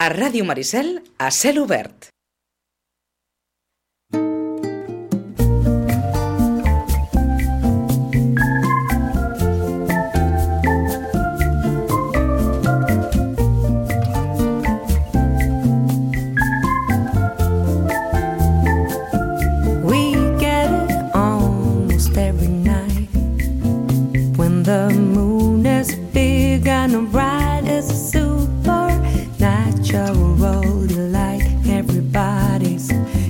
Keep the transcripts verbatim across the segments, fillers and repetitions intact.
A Ràdio Maricel, a cel obert. The moon is big and bright as a supernatural delight. Everybody's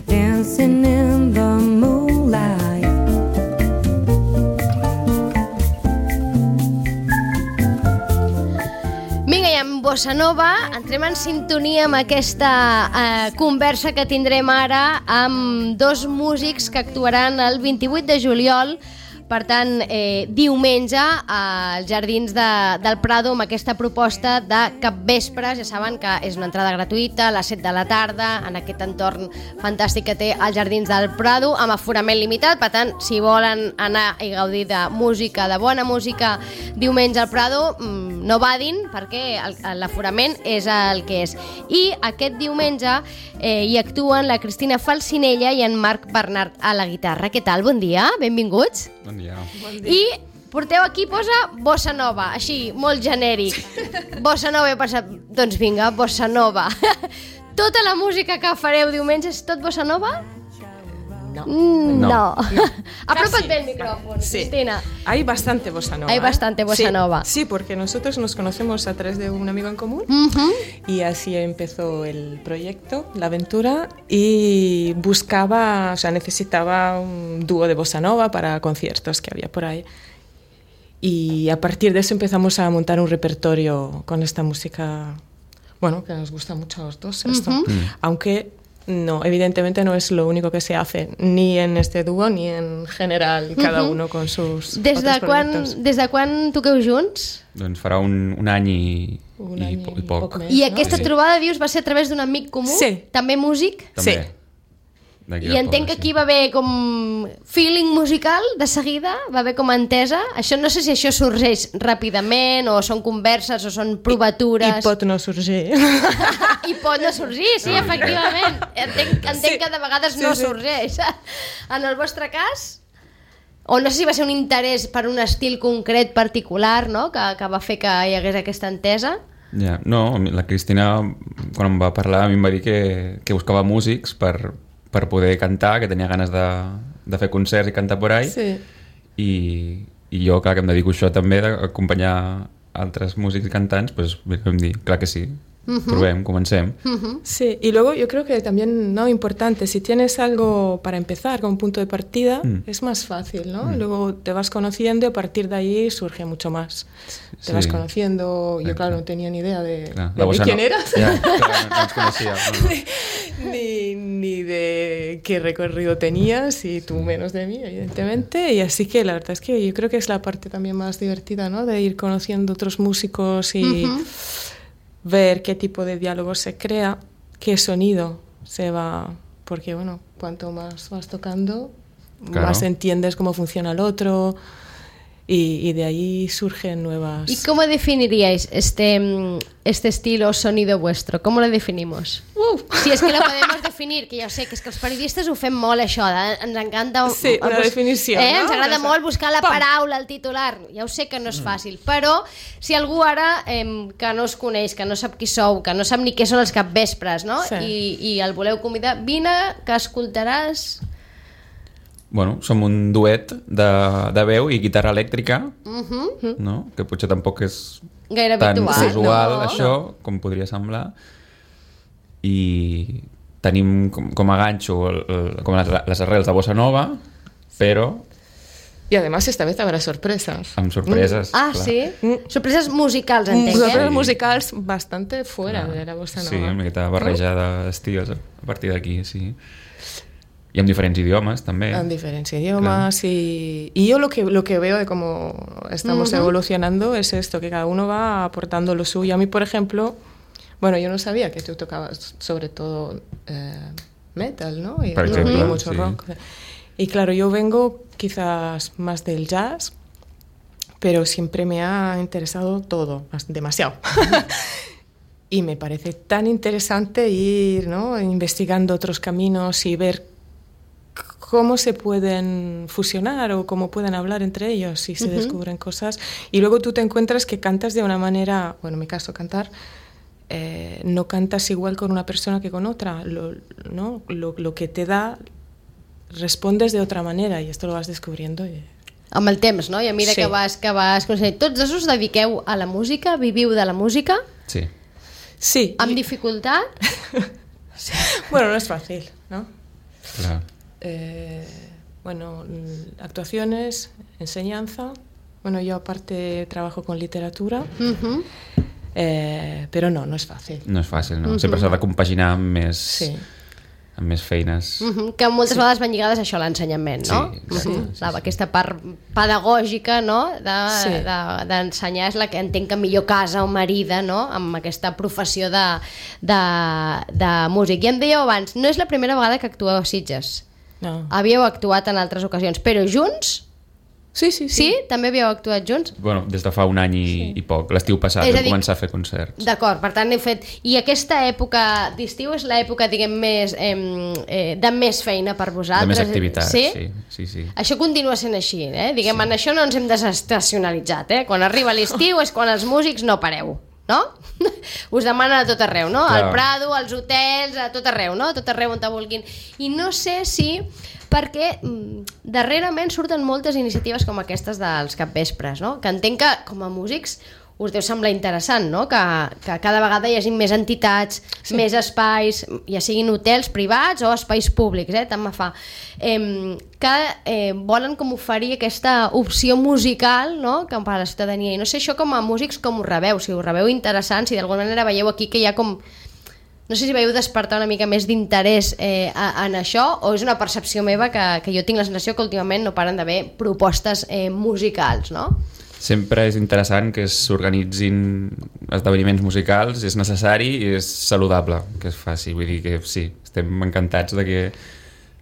dancing in the moonlight. Vinga, i amb Bossa Nova entrem en sintonia amb aquesta eh, conversa que tindrem ara amb dos músics que actuaran el vint-i-vuit de juliol. Per tant, eh, diumenge als Jardins de, del Prado amb aquesta proposta de capvespres. Ja saben que és una entrada gratuïta a les set de la tarda en aquest entorn fantàstic que té els Jardins del Prado amb aforament limitat. Per tant, si volen anar i gaudir de música, de bona música diumenge al Prado, no badin perquè l'aforament és el que és. I aquest diumenge eh, hi actuen la Cristina Falcinella i en Marc Bernat a la guitarra. Què tal? Bon dia, benvinguts. Bon dia. Bon dia. I porteu aquí, posa Bossa Nova, així, molt genèric. Bossa Nova, he pensat, doncs vinga, Bossa Nova. Tota la música que fareu diumenge és tot Bossa Nova? No. Mm, no. no. Apropa't bé el micrófono, sí. Cristina. Hay bastante bossa nova. Hay bastante bossa sí, nova. Sí, porque nosotros nos conocemos a través de un amigo en común uh-huh. y así empezó el proyecto, la aventura, y buscaba, o sea, necesitaba un dúo de bossa nova para conciertos que había por ahí. Y a partir de eso empezamos a montar un repertorio con esta música, bueno, que nos gusta mucho a los dos, esto. Uh-huh. Mm. Aunque no, evidentemente no es lo único que se hace, ni en este dúo ni en general, cada uno con sus des otros de quan, proyectos. Des de quan toqueu junts? Doncs farà un, un any i, Un i, any po- i i poc. poc més. I aquesta Sí. trobada, dius, va ser a través d'un amic comú? Sí. També músic? També. Sí. D'aquí I del entenc que poble, aquí va haver com feeling musical de seguida, va haver com entesa. Això no sé si això sorgeix ràpidament o són converses o són provatures. I pot no sorgir. I pot no sorgir, sí, efectivament. Entenc, entenc Sí. que de vegades Sí, no sí. sorgeix. En el vostre cas, o no sé si va ser un interès per un estil concret particular, no?, que, que va fer que hi hagués aquesta entesa. Ja, no, la Cristina, quan em va parlar, a mi em va dir que, que buscava músics per, per poder cantar, que tenia ganes de, de fer concerts i cantar por ahí. Sí. I, i jo, clar, que em dedico a això també, d'acompanyar altres músics i cantants, doncs vam dir, clar que sí, uh-huh. provem, comencem. Uh-huh. Sí, y luego yo creo que también, no, importante, si tienes algo para empezar como punto de partida, Mm. es más fácil, ¿no? Mm. Luego te vas conociendo y a partir de ahí surge mucho más. Te Sí. vas conociendo, yo Exacte. claro, no tenía ni idea de, Clar, de, la de bossa quién no- eras. Ja, clar, no ens coneixia. No, no. ni, ni de qué recorrido tenías y tú menos de mí, evidentemente. Y así que la verdad es que yo creo que es la parte también más divertida, ¿no? De ir conociendo otros músicos y Uh-huh. ver qué tipo de diálogo se crea, qué sonido se va... Porque, bueno, cuanto más vas tocando, Claro. más entiendes cómo funciona el otro y, y de ahí surgen nuevas... ¿Y cómo definiríais este, mm, este estilo o sonido vuestro? ¿Cómo lo definimos? Uh. Si és que lo podemos definir, que ja sé que és que els periodistes ho fem molt això, de, ens encanta... Sí, una bus- definició, eh? no? Ens agrada Una- molt buscar la Pam. paraula, el titular. Ja ho sé que no és fàcil, però si algú ara eh, que no us coneix, que no sap qui sou, que no sap ni què són els capvespres, no? Sí. I, i el voleu convidar, vine, que escoltaràs... Bueno, som un duet de, de veu i guitarra elèctrica, Uh-huh. no? Que potser tampoc és Gaire tan habitual. usual, no? això, com podria semblar. I tenim com, com a ganxo el, el, com les, les arrels de bossa nova, però Y además esta vez habrá sorpresas. amb sorpreses. Ah, clar. sí? Mm. Sorpreses musicals, entenc, Sorpresas eh? Mm, musicals bastante fuera Clar. de la bossa nova. Sí, una miqueta barreja d'estils a partir d'aquí, sí. I amb diferents idiomes, també. En diferentes idiomas y, y yo lo que, lo que veo de cómo estamos Ujú. evolucionando es esto, que cada uno va aportando lo suyo. A mí, por ejemplo, bueno, yo no sabía que tú tocabas sobre todo eh, metal, ¿no? Y, Por y ejemplo, mucho sí. rock. Y claro, yo vengo quizás más del jazz, pero siempre me ha interesado todo, más- demasiado. y me parece tan interesante ir, ¿no?, investigando otros caminos y ver cómo se pueden fusionar o cómo pueden hablar entre ellos y se uh-huh. descubren cosas. Y luego tú te encuentras que cantas de una manera, bueno, en mi caso cantar, eh, no cantas igual con una persona que con otra, lo, ¿no? lo, lo que te da, respondes de otra manera i esto lo vas descubriendo. I... Amb el temps, no? I a mesura sí. que vas, que vas aconseguint. Tots dos us dediqueu a la música, viviu de la música? Sí. Sí. Amb dificultat? Sí. Bueno, no es fácil, ¿no? Claro. Eh, bueno, actuaciones, enseñanza. Bueno, yo aparte trabajo con literatura, uh-huh. eh, pero no, no es fàcil. No és fàcil, no? Uh-huh. Sempre s'ha de compaginar amb més, sí. amb més feines. Uh-huh. Que moltes sí. vegades van lligades a això, a l'ensenyament, no? Sí, uh-huh. sí, sí, la, sí. Aquesta part pedagògica, no?, d'ensenyar de, sí. de, és la que entenc que millor casa o marida, no?, amb aquesta professió de, de, de músic. I em dèieu abans, no és la primera vegada que actueu a Sitges. No. Havíeu actuat en altres ocasions, però junts? Sí, sí, sí. Sí? També havíeu actuat junts? Bueno, des de fa un any i, sí. i poc. L'estiu passat vam començar a fer concerts. D'acord, per tant heu fet... I aquesta època d'estiu és l'època, diguem, més, eh, eh, de més feina per vosaltres? De més activitat, sí? sí. sí, sí. Això continua sent així, eh? Diguem, sí. en això no ens hem desestacionalitzat, eh? Quan arriba l'estiu és quan els músics no pareu, no? Us demanen a tot arreu, no? Clar. Al Prado, als hotels, a tot arreu, no? A tot arreu on te vulguin. I no sé si... perquè mm, darrerament surten moltes iniciatives com aquestes dels capvespres, no? Que entenc que com a músics us deu semblar interessant, no? Que, que cada vegada hi hagi més entitats, sí. més espais, ja siguin hotels privats o espais públics, eh? Tant me fa. Eh, que eh, volen com oferir aquesta opció musical, no?, que per a la ciutadania. I no sé això com a músics com ho rebeu, si ho rebeu interessant, si d'alguna manera veieu aquí que hi ha com... No sé si veieu despertar una mica més d'interès eh, en això, o és una percepció meva que, que jo tinc la sensació que últimament no paren d'haver propostes eh, musicals, no? Sempre és interessant que s'organitzin esdeveniments musicals, és necessari i és saludable que es faci. Vull dir que sí, estem encantats de que,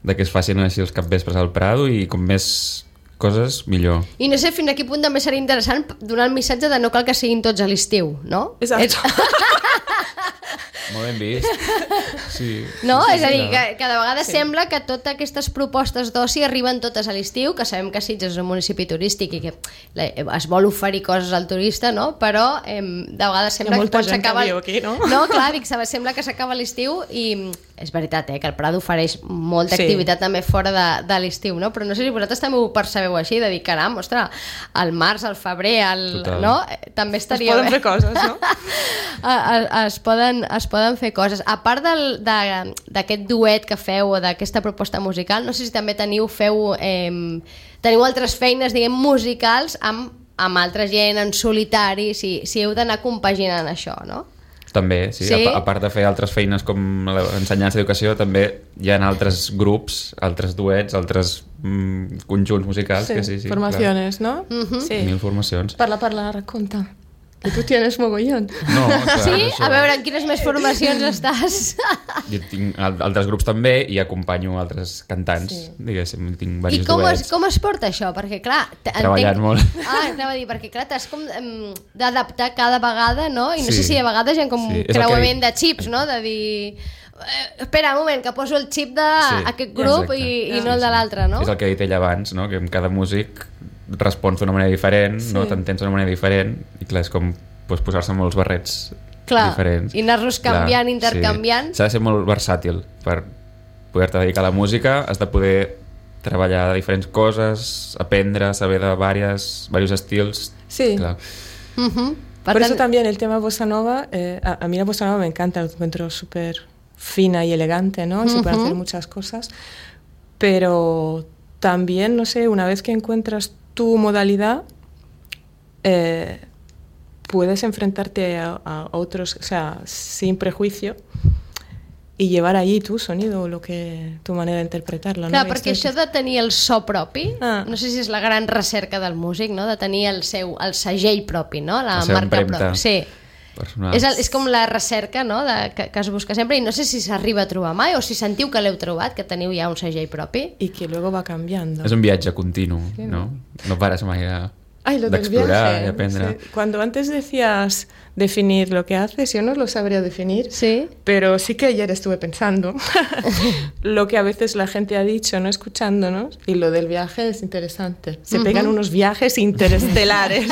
de que es facin així els capvespres al Prado i com més coses, millor. I no sé fins a quin punt també seria interessant donar el missatge de no cal que siguin tots a l'estiu, no? Exacte. Molt ben vist. Sí. No? Sí, sí, és a dir, no. que cada vegada sí. sembla que totes aquestes propostes d'oci arriben totes a l'estiu, que sabem que Sitges és un municipi turístic i que es vol oferir coses al turista, no? Però eh, de vegades sembla que quan s'acaba... Aquí, no? No, clar, dic, sembla que s'acaba l'estiu i és veritat, eh, que el Prado ofereix molta sí. activitat també fora de, de l'estiu, no? Però no sé si vosaltres també ho percebeu així, de dir, caram, ostres, al març, al febrer, al... no? També estaria bé. Es poden bé. fer coses, no? es, poden, es poden fer coses. A part d'aquest duet que feu o d'aquesta proposta musical, no sé si també teniu, feu, eh, teniu altres feines, diguem, musicals amb, amb altra gent, en solitari, si, si heu d'anar compaginant això, no? També, sí. sí. A, a part de fer altres feines com l'ensenyança d'educació, també hi ha altres grups, altres duets, altres mm, conjunts musicals. Sí, que sí, sí, formaciones, clar. ¿no? Uh-huh. Sí. Mil formacions. Parla, parla, racconta. Que tu tienes mogollón. No, clar, sí? Això... A veure, en quines més formacions estàs? Jo tinc altres grups també i acompanyo altres cantants, sí. Diguéssim, tinc diversos I com duets. es, com es porta això? Perquè clar... Treballant entenc... molt. Ah, anava a dir, perquè clar, t'has com um, d'adaptar cada vegada, no? I no sí. sé si a vegades hi ha com sí. creuament que... de xips, no? De dir... Eh, espera un moment, que poso el xip d'aquest sí. grup i, i no el de l'altre, no? És el que he dit ell abans, no? Que cada músic respons d'una manera diferent, sí. no? T'entens d'una manera diferent i clar, és com pues, posar-se molts barrets clar, diferents. I anar-los canviant, clar, intercanviant. Sí. S'ha de ser molt versàtil per poder-te dedicar a la música, has de poder treballar de diferents coses, aprendre, saber de varios, varios estils. Sí. Clar. Uh-huh. Por tant... eso también el tema bossa nova, eh, a, a mí la bossa nova me encanta, lo encuentro súper fina y elegante, ¿no? Y uh-huh. se pueden hacer muchas cosas, pero también, no sé, una vez que encuentras tu modalidad, eh, puedes enfrentarte a, a otros, o sea, sin prejuicio y llevar allí tu sonido, lo que, tu manera de interpretarlo. Clar, no? perquè això de tenir el so propi, ah. no sé si és la gran recerca del músic, no? De tenir el seu el segell propi, no? La, la marca pròpia. Sí. És, el, és com la recerca, no? De, que, que es busca sempre i no sé si s'arriba a trobar mai o si sentiu que l'heu trobat, que teniu ja un segell propi. I que luego va canviando. És un viatge continu, sí, no? No pares mai a... Ay, lo del d'explorar viaje. i aprendre. Sí. Cuando antes decías definir lo que haces, yo no lo sabría definir, Sí? pero sí que ayer estuve pensando lo que a veces la gente ha dicho, no escuchándonos, y lo del viaje es interesante. Se pegan unos viajes interestelares.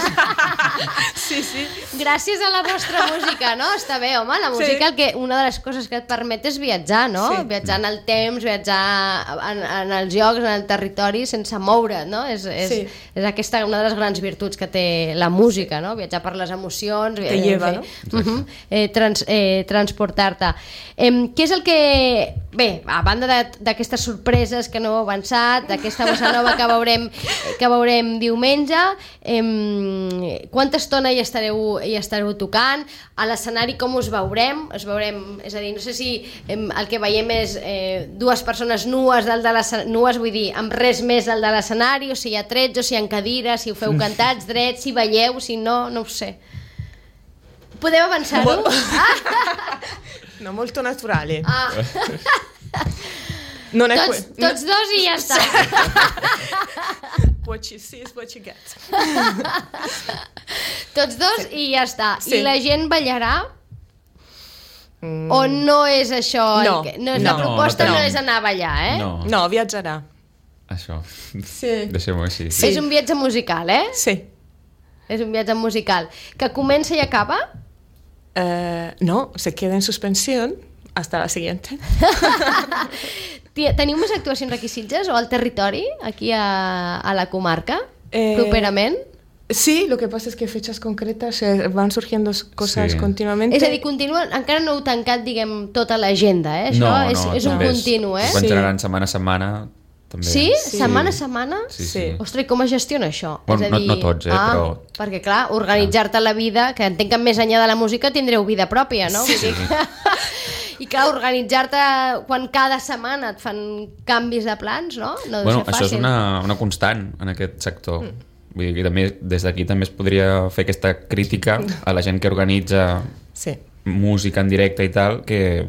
Sí, sí. Gràcies a la vostra música, no? Està bé, home, la música, Sí. el que, una de les coses que et permet és viatjar, no? Sí. Viatjar en el temps, viatjar en, en els llocs, en el territori, sense moure't, no? És, és, Sí. és aquesta una de les grans virtuts que té la música, no? Viatjar per les emocions, Te eh, lleva, fer- no? Uh -huh, eh, trans, eh, transportar-te. Eh, què és el que... Bé, a banda de- d'aquestes sorpreses que no heu avançat, d'aquesta bossa nova que veurem, que veurem diumenge, eh, quanta estona hi estareu, hi estareu tocant? A l'escenari com us veurem? Us veurem, és a dir, no sé si eh, el que veiem és eh, dues persones nues, dalt de l'escenari, nues vull dir, amb res més dalt de l'escenari, o si hi ha trets, o si hi ha cadires, si ho feu cantats, drets, si balleu, si no, no ho sé. Podeu avançar-ho? Ah, No, molto naturale. ah. Non è Tots, que- tots dos i ja està. What you see is what you get. Tots dos i ja està. Sí. I la gent ballarà? Mm. O no és això? No. El que, no és No, la proposta no no, tenim. és anar a ballar, eh? No, No, viatjarà. això. Sí. Deixem-ho així. Sí. És un viatge musical, eh? Sí. És un viatge musical. Que comença i acaba? Eh, no, se queda en suspensión hasta la siguiente. Ti- Teniu més actuacions aquí a Sitges o al territori, aquí a, a la comarca, Eh, properament? Sí, lo que pasa es que fechas concretas eh, van surgiendo cosas Sí. continuamente. És a dir, continua, encara no heu tancat, diguem, tota l'agenda, eh? Això No, és, no, és un també continu, eh? Quan Sí. generaran setmana a setmana, també. Sí? Sí. Setmana a setmana? Sí, sí. Sí. Ostres, i com es gestiona això? Bueno, És a no- dir, no tots, eh, ah, però- Perquè, clar, organitzar-te la vida, que entenc que més enllà de la música tindreu vida pròpia, no? Sí. Vull dir que... I clar, organitzar-te quan cada setmana et fan canvis de plans, no? No deu Bueno, ser això fàcil. és una, una constant en aquest sector. Mm. Vull dir que també, des d'aquí també es podria fer aquesta crítica a la gent que organitza Sí. música en directe i tal, que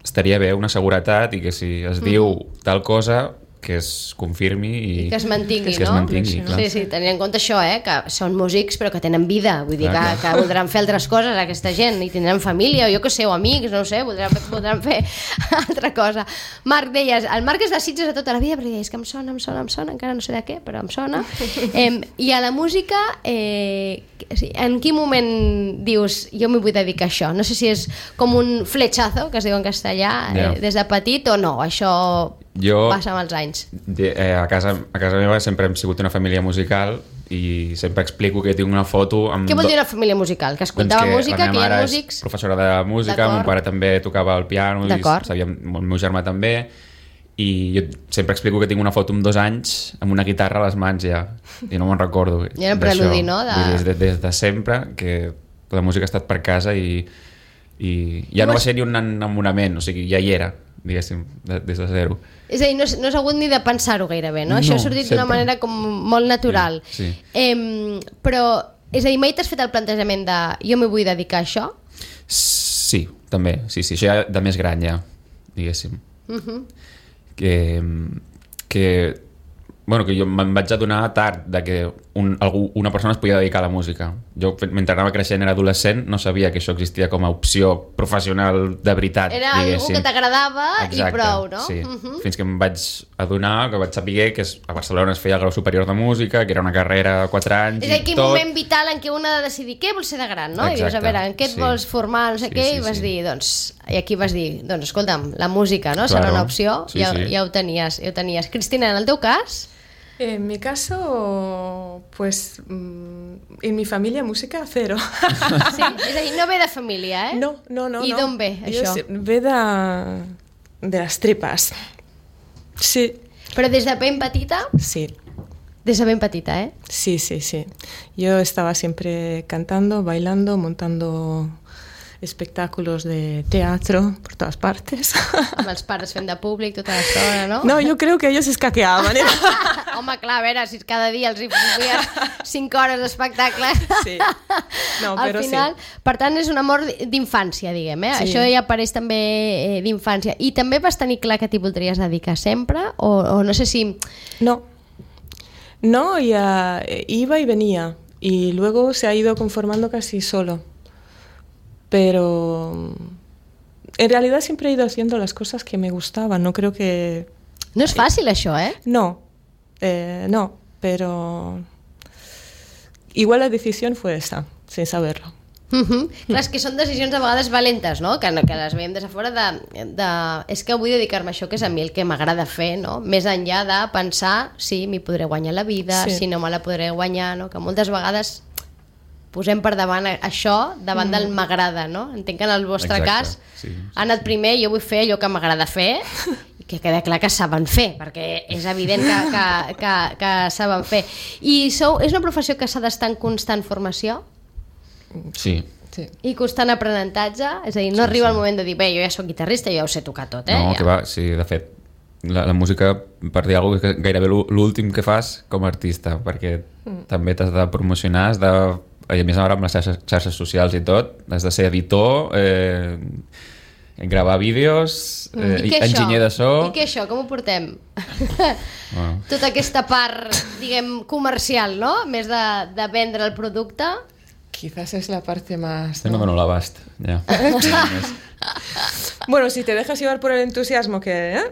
estaria bé una seguretat i que si es diu tal cosa que es confirmi i, I que es mantingui, que es no? mantingui, clar. Sí, sí, tenint en compte això, eh? Que són músics però que tenen vida, vull dir Clar, que, clar. que voldran fer altres coses aquesta gent i tindran família, o jo que sé, o amics, no ho sé, voldran, fer- voldran fer altra cosa. Marc, deies, el Marc és de Sitges de tota la vida, perquè és que em sona, em sona, em sona, encara no sé de què, però em sona. Eh, I a la música, eh, en quin moment dius, jo m'hi vull dedicar a això? No sé si és com un fletxazo, que es diu en castellà, Ja. eh, des de petit, o no, això Jo- passa amb els anys. De, eh, a, casa, a casa meva sempre hem sigut una família musical i sempre explico que tinc una foto amb... Què vol do- dir una família musical? Que escoltava Doncs música, la que hi meva ha mare és músics... professora de música, D'acord. el meu pare també tocava el piano i D'acord. sabia, el meu germà també, i jo sempre explico que tinc una foto amb dos anys amb una guitarra a les mans ja, i no me'n recordo I era un d'això. preludi, no? De- Vull dir, des, de, des de sempre que la música ha estat per casa i, i ja no va ser ni un enamorament, o sigui, ja hi era, diguéssim, de, des de zero. És a dir, no, has- no has hagut ni de pensar-ho gairebé, no? No, Això ha sortit d'una sempre. manera com molt natural. Sí, sí. Em, però, és a dir, mai t'has fet el plantejament de jo m'hi vull dedicar a això? Sí, també, sí, sí, això ja de més gran ja, diguéssim. Uh -huh. que, que, bueno, que jo me'n vaig adonar tard de que un, algú, una persona es podia dedicar a la música. Jo, mentre anava creixent, era adolescent, no sabia que això existia com a opció professional de veritat, Era algú diguéssim. que t'agradava i Exacte, prou, no? Sí. Uh -huh. Fins que em vaig adonar, que vaig saber que es- a Barcelona es feia el grau superior de música, que era una carrera de quatre anys És a dir, aquell i tot. moment vital en què un ha de decidir què vols ser de gran, no? I dius, a Exacte, veure, en què et sí. vols formar, no sé Sí, què, sí, i vas sí. dir, doncs, i aquí vas dir, doncs, escolta'm, la música, no? Serà Claro. una opció, Sí, ja, sí. ja ho tenies, ja ho tenies. Cristina, en el teu cas? En mi caso, pues mm, en mi familia música cero. Sí, és a dir, no ve de família, eh? No, no, no. I no. d'on ve, Yo això? sé- Ve de, de las tripas. Sí, Però des de ben petita, sí, des de ben petita, eh? sí, sí, sí. Yo estaba siempre cantando, bailando, montando espectáculos de teatro por todas partes. Amb els pares fent de públic tota l'estona, no? No, yo creo que ellos escaqueaban. ¿eh? Home, clar, a veure, si cada dia els hi feies cinc hores d'espectacle. Sí. No, Al però final, sí. per tant, és un amor d'infància, diguem, eh? Sí. Això ja apareix també eh, d'infància. I també vas tenir clar que t'hi voldries dedicar sempre? O, o no sé si... No. No, ya iba y venía. Y luego se ha ido conformando casi solo. Pero en realidad siempre he ido haciendo las cosas que me gustaban. No creo que... No és fàcil, això, eh? No, eh, no, pero igual la decisión fue esa, sin saberlo. Uh -huh. Clar, és que són decisions a vegades valentes, no? Que, que les veiem des de fora de, de... És que vull dedicar-me a això, que és a mi el que m'agrada fer, no? Més enllà de pensar si m'hi podré guanyar la vida, sí. si no me la podré guanyar, no? Que moltes vegades posem per davant això davant mm. del m'agrada, no? Entenc que en el vostre Exacte. cas sí, sí, ha anat primer, jo vull fer allò que m'agrada fer i que queda clar que saben fer, perquè és evident que, que, que, que saben fer. I sou, és una professió que s'ha d'estar en constant formació? Sí. Sí. I constant aprenentatge? És a dir, no sí, arriba sí. el moment de dir, bé, jo ja soc guitarrista, jo ja ho sé tocar tot, eh? No, ja. que va, sí, de fet, la, la música, per dir alguna cosa, és gairebé l'últim que fas com a artista, perquè mm. també t'has de promocionar, has de, i a més ara amb les xarxes, xarxes socials i tot, has de ser editor, eh, gravar vídeos, eh, I enginyer de so... I què això? Com ho portem? Bueno. Tota aquesta part, diguem, comercial, no? Més de, de vendre el producte... Quizás es la parte más... ¿no? No me lo l'abast, ya. Bueno, si te dejas llevar por el entusiasmo que... ¿eh?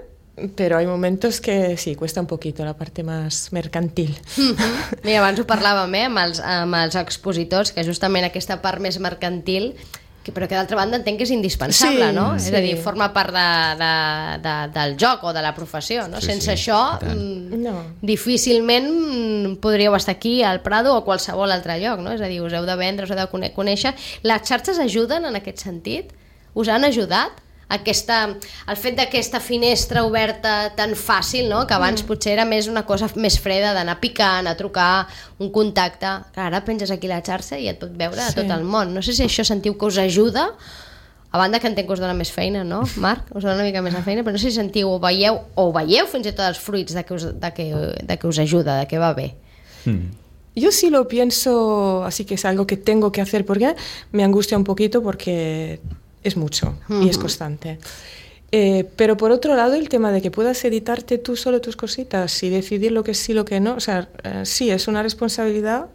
Pero hay momentos que sí, cuesta un poquito la parte más mercantil. Mm-hmm. Mira, abans ho parlàvem, eh, amb els, amb els expositors, que justament aquesta part més mercantil, que, però que d'altra banda entenc que és indispensable, sí, no? Sí. És a dir, forma part de, de, de, del joc o de la professió, no? Sí, Sense sí, això, mm, no. difícilment podríeu estar aquí al Prado o a qualsevol altre lloc, no? És a dir, us heu de vendre, us heu de conèixer. Les xarxes ajuden en aquest sentit? Us han ajudat? Aquesta, el fet d'aquesta finestra oberta tan fàcil, no? Que abans mm. potser era més una cosa més freda d'anar picant, a trucar, un contacte, que ara penges aquí la xarxa i et pot veure sí. a tot el món. No sé si això sentiu que us ajuda, a banda que entenc que us dona més feina, no, Marc? Us dona una mica més de feina, però no sé si sentiu o veieu, o veieu fins i tot els fruits de que us, de que, de que us ajuda, de que va bé. Hmm. Yo sí lo pienso, así que es algo que tengo que hacer porque me angustia un poquito porque... es mucho uh-huh. y es constante. Eh, pero por otro lado, el tema de que puedas editarte tú solo tus cositas y decidir lo que sí, lo que no, o sea, eh, sí, es una responsabilidad,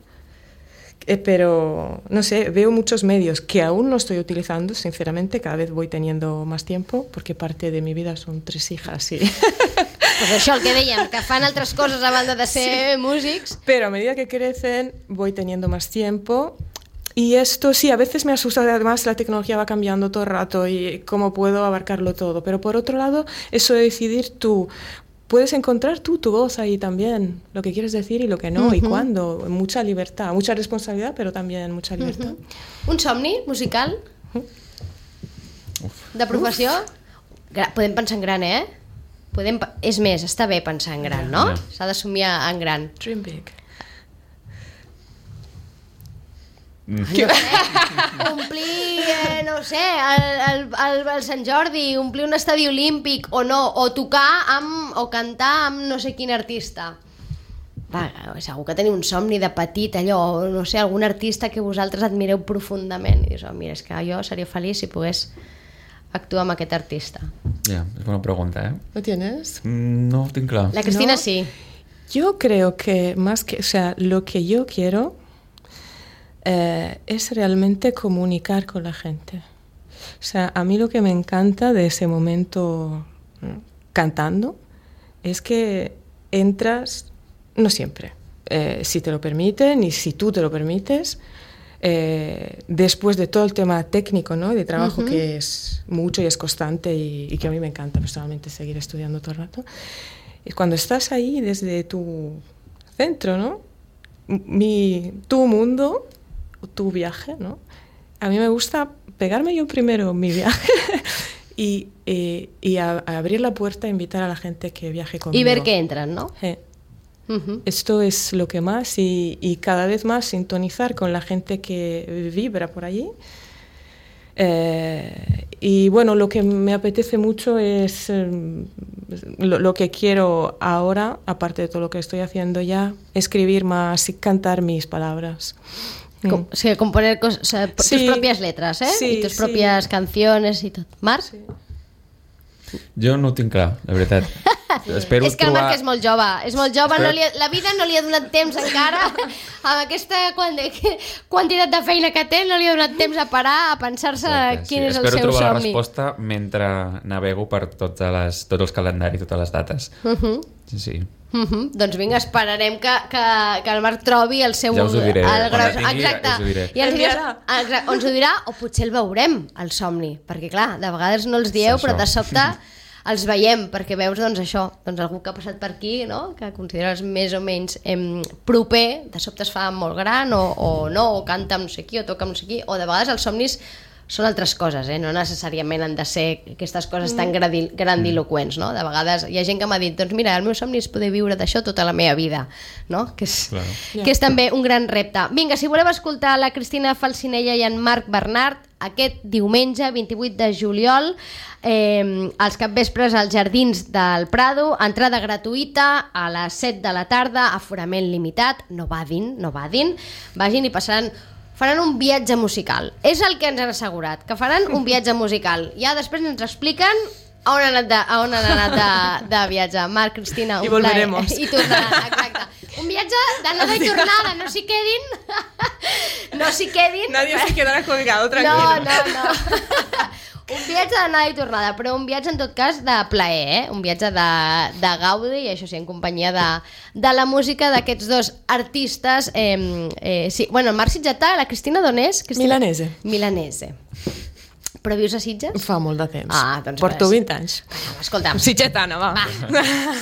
eh, pero no sé, veo muchos medios que aún no estoy utilizando, sinceramente, cada vez voy teniendo más tiempo, porque parte de mi vida son tres hijas y... Pues això, el que dèiem, que fan altres coses a banda de ser sí. músics. Pero a medida que crecen, voy teniendo más tiempo. Y esto sí, a veces me asusta, además la tecnología va cambiando todo el rato y cómo puedo abarcarlo todo. Pero por otro lado, eso de decidir tú, puedes encontrar tú tu voz ahí también, lo que quieres decir y lo que no, uh-huh. y cuándo. Mucha libertad, mucha responsabilidad, pero también mucha libertad. Uh-huh. Un somni musical? Uh-huh. De professió? Gra- podem pensar en gran, eh? Podem, és més, està bé pensar en gran, no? Yeah. S'ha de somiar en gran. Dream big. Mm. No sé, omplir, eh, no sé, el, el, el, el Sant Jordi, omplir un estadi olímpic o no, o tocar amb, o cantar amb no sé quin artista. Va, segur que teniu un somni de petit, allò, no sé, algun artista que vosaltres admireu profundament i dius, oh, mira, és que jo seria feliç si pogués actuar amb aquest artista. Ja, yeah, és bona pregunta, eh? ¿Lo tienes? Mm, no ho tinc clar. La Cristina ¿No? sí. Yo creo que más que, o sea, lo que yo quiero eh, es realmente comunicar con la gente. O sea, a mí lo que me encanta de ese momento ¿no? cantando es que entras, no siempre, eh, si te lo permiten y si tú te lo permites, eh, después de todo el tema técnico, ¿no? de trabajo uh-huh. que es mucho y es constante y, y que a mí me encanta personalmente seguir estudiando todo el rato, es cuando estás ahí desde tu centro, ¿no? Mi, tu mundo, tu viaje, ¿no? A mí me gusta pegarme yo primero mi viaje y, y, y a, a abrir la puerta e invitar a la gente que viaje conmigo. Y ver que entran, ¿no? Eh. Uh-huh. Esto es lo que más y, y cada vez más sintonizar con la gente que vibra por allí. Eh, y bueno, lo que me apetece mucho es eh, lo, lo que quiero ahora, aparte de todo lo que estoy haciendo ya, escribir más y cantar mis palabras. Com, o sigui, componer cos, o sea, sí, tus propias letras, eh? Sí, I tus sí. propias canciones i tot. Marc? Sí. Jo no ho tinc clar, la veritat. Espero és que el trobar... Marc és molt jove, és molt jove, Espero... no li ha, la vida no li ha donat temps encara, amb aquesta quantitat de feina que té, no li ha donat temps a parar, a pensar-se Exacte, quin sí. és el Espero seu trobar la somni. resposta mentre navego per totes les, tots els calendaris, totes les dates. Uh -huh. Sí, sí. Uh -huh. Doncs vinga, esperarem que, que, que el Marc trobi el seu... Ja us ho diré, el quan gros... la tingui, Exacte. us ho diré. I ens, diràs, Enviarà. exacte, ens ho dirà, o potser el veurem, el somni, perquè clar, de vegades no els dieu, Sí, però això. de sobte els veiem, perquè veus doncs això, doncs algú que ha passat per aquí, no? Que consideres més o menys em, proper, de sobte es fa molt gran, o, o no, o canta amb no sé qui, o toca amb no sé qui, o de vegades els somnis són altres coses, eh? No necessàriament han de ser aquestes coses tan gradi- grandiloquents, no? De vegades hi ha gent que m'ha dit, doncs mira, el meu somni és poder viure d'això tota la meva vida, no? Que és, Claro. que és també un gran repte. Vinga, si voleu escoltar la Cristina Falcinella i en Marc Bernat, aquest diumenge, vint-i-vuit de juliol, eh, als capvespres als Jardins del Prado, entrada gratuïta a les set de la tarda, aforament limitat, no vadin, no vadin, vagin i passaran faran un viatge musical. És el que ens han assegurat, que faran un viatge musical. Ja després ens expliquen a on han anat de, a on han anat de, de viatge. Marc, Cristina, un I volveremos. plaer. I tornaran, exacte. Un viatge d'anada i tornada, no s'hi quedin. No s'hi quedin. Nadie se quedará colgado, tranquilo. No, no, no. Un viatge d'anada i tornada, però un viatge en tot cas de plaer, eh? Un viatge de, de gaudi, i això sí, en companyia de, de la música d'aquests dos artistes. Eh, eh, sí. Bueno, el Marc Sitgetà, la Cristina d'on és? Cristina? Milanese. Milanese. Però vius a Sitges? Fa molt de temps. Ah, doncs Porto res. vint anys. Escolta'm. Sitgetana, va. Va.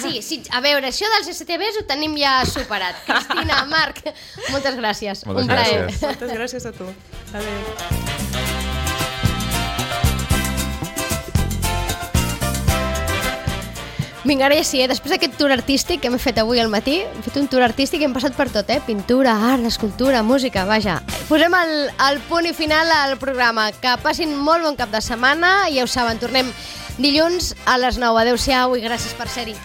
Sí, sí, a veure, això dels S T Bs ho tenim ja superat. Cristina, Marc, moltes gràcies. Moltes un plaer. gràcies. Moltes gràcies a tu. Adéu. Vinga, ara ja sí, eh? Després d'aquest tour artístic que hem fet avui al matí, hem fet un tour artístic i hem passat per tot, eh? Pintura, art, escultura, música, vaja. Posem el, el punt i final al programa. Que passin molt bon cap de setmana i ja ho saben, tornem dilluns a les nou. Adéu-siau i gràcies per ser-hi.